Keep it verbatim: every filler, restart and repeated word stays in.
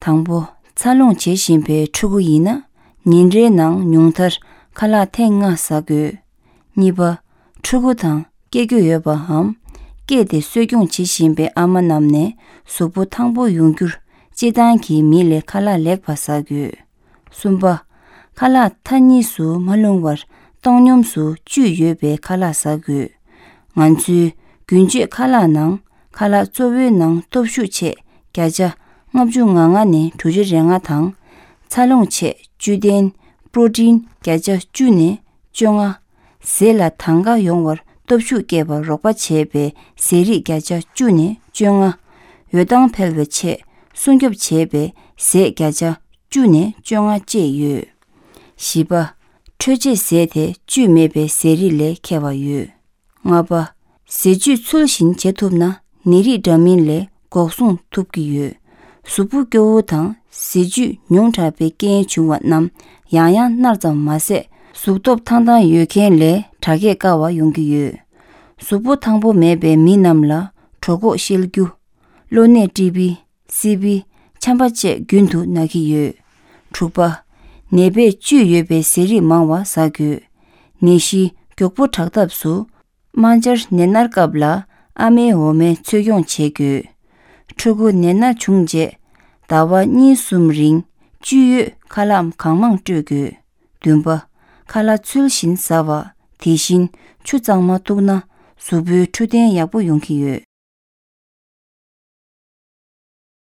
དང་པོ། འཚར་ལོངས་བྱེད་བཞིན་པའི་ཕྲུ་གུ་ཡིན་ན། ཉིན་རེའི་ནང་ཉུང་མཐར་ཁ་ལག་ཐེངས་ལྔ་ཟ་དགོས། གཉིས་པ། ཕྲུ་གུ་དང་སྐྱེ་རྒྱུ་ཡོད་པའམ། སྐྱེས་ཏེ་གསོ་སྐྱོང་བྱེད་བཞིན་པའི་ཨ་མ་རྣམས་ནས་གཟུགས་པོ་ཐང་པོ་ཡོང་རྒྱུར་སྤྱིར་བཏང་གི་མི་ལས་ཁ་ལག་ལེགས་པ་ཟ་དགོས། གསུམ་པ། ཁ་ལག་མཐའ་གཉིས་སུ་མ་ལྷུང་བར་བཏང་སྙོམས་སུ་བཅུད་ཡོད་པའི་ཁ་ལག་ཟ་དགོས། ང་ཚོའི་རྒྱུན་སྤྱོད་ཁ་ལག་ནང་ཁ་ལག་གཙོ་བོའི་ནང་སྟོབས་ཤུགས་ཆེ་བརྒྱ་ཆ་ལྔ་བཅུ་ང་ལྔ་ནས་དྲུག་ཅུ་རེ་ལྔ་དང་། འཚར་ལོངས་ཆེད་བཅུད་ལྡན་པྲོ་ཊིན་བརྒྱ་ཆ་བཅུ་ནས་བཅོ་ལྔ། ཟས་ལ་དང་ག་ཡོང་བར་སྟོབས་ཤུགས་སྐྱེད་པར་རོགས་པ་བྱེད་པའི་ཟས་རིགས་བརྒྱ་ཆ་བཅུ་ནས་བཅོ་ལྔ། འོད་མདངས་འཕེལ་བའི་ཆེད་སྲུང་སྐྱོབ་བྱེད་པའི་ཟས་བརྒྱ་ཆ་བཅུ་ནས་བཅོ་ལྔ་བཅས་ཡོད། བཞི་པ། འཕྲོད་བྱེད་ཟས་དེ་བཅུད་མེད་པའི་ཟས་རིགས་ལས་ཁྱད་པར་ཡོད། ལྔ་པ། ཟས་བཅུད་ཚུལ་བཞིན་བྱེད་ཐུབ་ན་ནད་རིགས་འདྲ་མིན་ལས་འགོག་སྲུང་ཐུབ་ཀྱི་ཡོད། གཟུགས་པོ་སྐྱོ་བོ་དང་ཟས་བཅུད་ཉུང་དྲགས་པའི་རྐྱེན་བྱུང་བ་རྣམས་ཡང་ཡང་མནར་ཙམ་མ་ཟད། གཟུགས་སྟོབས་ཐང་ཐང་ཡོད་མཁན་ལས་དྲག་སྐྱེད་དཀའ་བ་ཡོང་གི་ཡོད། གཟུགས་པོ་ཐང་པོ་མེད་པའི་མི་རྣམས་ལ་གྲོད་ཁོག་བཤལ་རྒྱུ། གློ་ནད་ཀྲི་པི། སི་པི། ཆམ་པ་བཅས་རྒྱུན་དུ་ན་གི་ཡོད། དྲུག་པ། ནད་པས་བཅུད་ཡོད་པའི་ཟས་རིགས་མང་བ་ཟ་དགོས། ནད་གཞི་མགྱོགས་པོ་དྲག་ཐབས་སུ། རྨ་བྱར་ནད་མནར་སྐབས་ལ་ཨ་མའི་འོ་མའི་འཚོ་སྐྱོང་བྱེད་དགོས། ཕྲུ་གུ་ནད་མནར་བྱུང་རྗེས་ཟླ་བ་གཉིས་གསུམ་རིང་བཅུད་ཡོད་ཁ་ལག་གང་མང་སྤྲོད་དགོས། བདུན་པ། ཁ་ལག་ཚུལ་བཞིན་ཟ་བ། དེ་བཞིན་ཆུ་གཙང་མ་གཏུགས་ན་གཟུགས་པོའི་འཕྲོད་བསྟེན་ཡག་པོ་ཡོང་གི་ཡོད།